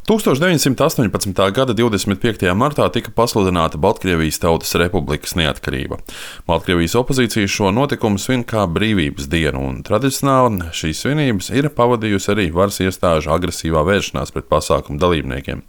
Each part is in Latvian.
1918. gada 25. martā tika pasludināta Baltkrievijas Tautas Republikas neatkarība. Baltkrievijas opozīcija šo notikumu svin kā brīvības dienu, un tradicionāli šīs svinības ir pavadījusi arī varas iestāžu agresīvā vēršanās pret pasākumu dalībniekiem.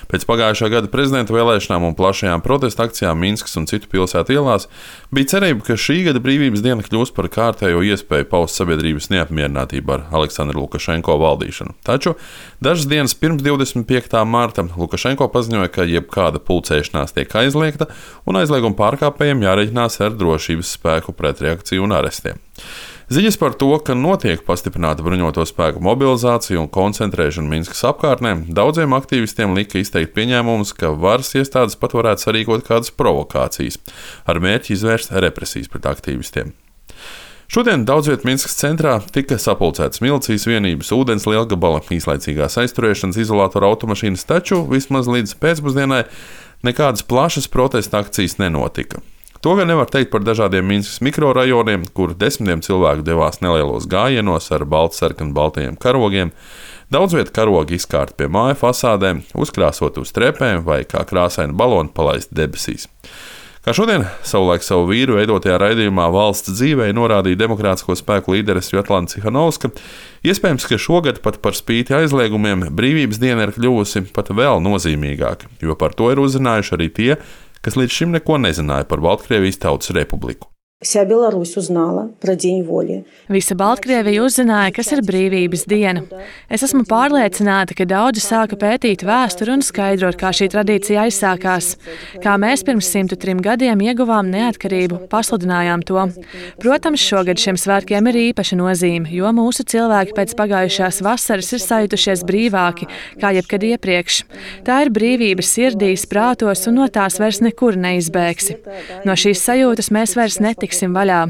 Pēc pagājušā gada prezidenta vēlēšanām un plašajām protesta akcijām Minskas un citu pilsētu ielās bija cerība, ka šī gada brīvības diena kļūs par kārtējo iespēju paust sabiedrības neapmierinātību ar Aleksandra Lukašenko valdīšanu. Taču dažas dienas pirms 25. marta Lukašenko paziņoja, ka jebkāda pulcēšanās tiek aizliegta un aizlieguma pārkāpējiem jārēķinās ar drošības spēku pretreakciju un arestiem. Ziņas par to, ka notiek pastiprināta bruņoto spēku mobilizācija un koncentrēšana Minskas apkārtnē, daudziem aktīvistiem lika izteikt pieņēmumus, ka varas iestādes pat varētu sarīkot kādas provokācijas ar mērķi izvērst represijas pret aktīvistiem. Šodien daudz viet Minskas centrā tika sapulcētas milicijas vienības, ūdens lielgabala, īslaicīgās aizturēšanas izolātora automašīnas, taču vismaz līdz pēcpusdienai nekādas plašas protesta akcijas nenotika. To gan nevar teikt par dažādiem Minskas mikrorajoniem, kur desmitiem cilvēku devās nelielos gājienos ar baltajiem karogiem. Daudz vietu karogi izkārt pie māju fasādēm, uzkrāsot uz trepēm vai kā krāsaini baloni palaist debesīs. Kā šodien savulaik savu vīru veidotajā raidījumā Valsts dzīvē norādīja demokrātisko spēku līdere Svetlana Cihanovska, iespējams, ka šogad pat par spīti aizliegumiem brīvības diena ir kļuvusi pat vēl nozīmīgāka, jo par to ir uzzinājuši arī tie, kas līdz šim neko nezināja par Baltkrievijas Tautas Republiku. Вся Беларусь узнала про День воли. Visa Baltkrievija uzzināja, kas ir brīvības diena. Es esmu pārliecināta, ka daudzi sāka pētīt vēsturi un skaidrot, kā šī tradīcija aizsākās. Kā mēs pirms 103 gadiem ieguvām neatkarību, pasludinājām to. Protams, šogad šiem svētkiem ir īpaša nozīme, jo mūsu cilvēki pēc pagājušās vasaras ir sajutušies brīvāki, kā jebkad iepriekš. Tā ir brīvības sirdīs, prātos, un no tās vairs nekur neizbēgsi. No šīs sajūtas mēs vairs netiksim vaļā.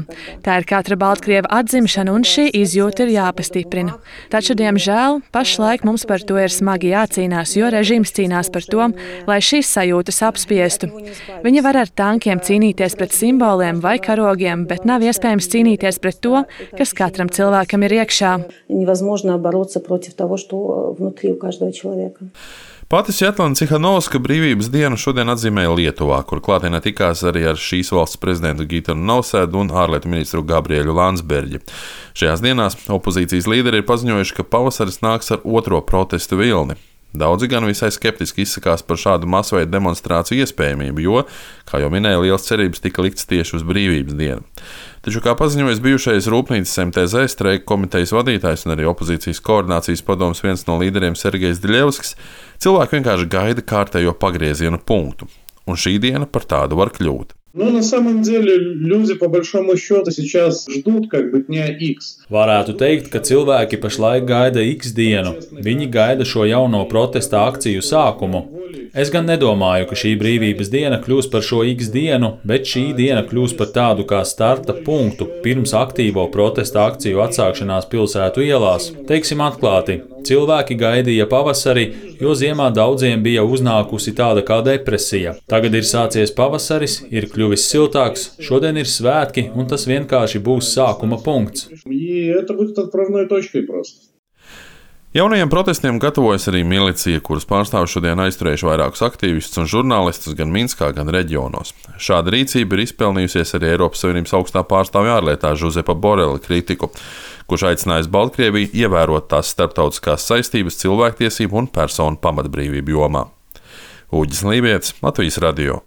Tā ir katra Baltkrieva atzimšana, un šī izjūta ir jāpastiprina. Taču, diemžēl, pašlaik mums par to ir smagi jācīnās, jo režīms cīnās par to, lai šīs sajūtas apspiestu. Viņi var ar tankiem cīnīties pret simboliem vai karogiem, bet nav iespējams cīnīties pret to, kas katram cilvēkam ir iekšā. Pati Svetlana Cihanovska brīvības dienu šodien atzīmēja Lietuvā, kur klātienē tikās arī ar šīs valsts prezidentu Gitanu Nausēdu un ārlietu ministru Gabrielu Landsbergi. Šajās dienās opozīcijas līderi ir paziņojuši, ka pavasaris nāks ar otro protestu vilni. Daudzi gan visai skeptiski izsakās par šādu masveida demonstrāciju iespējamību, jo, kā jau minēja, liels cerības tika likts tieši uz brīvības dienu. Taču, kā paziņojis bijušais Rūpnīcas MTZ streika komitejas vadītājs un arī opozīcijas koordinācijas padomes viens no līderiem Sergejs Diļevskis, cilvēki vienkārši gaida kārtējo pagrieziena punktu, un šī diena par tādu var kļūt. На самом деле люди по большому счету сейчас ждут дня X. Varētu teikt, ka cilvēki pašlaik gaida X dienu. Viņi gaida šo jauno protesta akciju sākumu. Es gan nedomāju, ka šī brīvības diena kļūs par šo X dienu, bet šī diena kļūs par tādu kā starta punktu pirms aktīvo protesta akciju atsākšanās pilsētu ielās. Teiksim atklāti, cilvēki gaidīja pavasari, jo ziemā daudziem bija uznākusi tāda kā depresija. Tagad ir sācies pavasaris, ir kļuvis siltāks, šodien ir svētki, un tas vienkārši būs sākuma punkts. Jaunajiem protestiem gatavojas arī milicija, kuras pārstāvji šodien aizturējuši vairākus aktīvistus un žurnālistus gan Minskā, gan reģionos. Šāda rīcība ir izpelnījusies arī Eiropas Savienības augstā pārstāvja ārlietā Žuzepa Borela kritiku, kurš aicinājis Baltkrieviju ievērot tās starptautiskās saistības cilvēktiesību un personu pamatbrīvību jomā. Uģis Lībietis, Latvijas radio.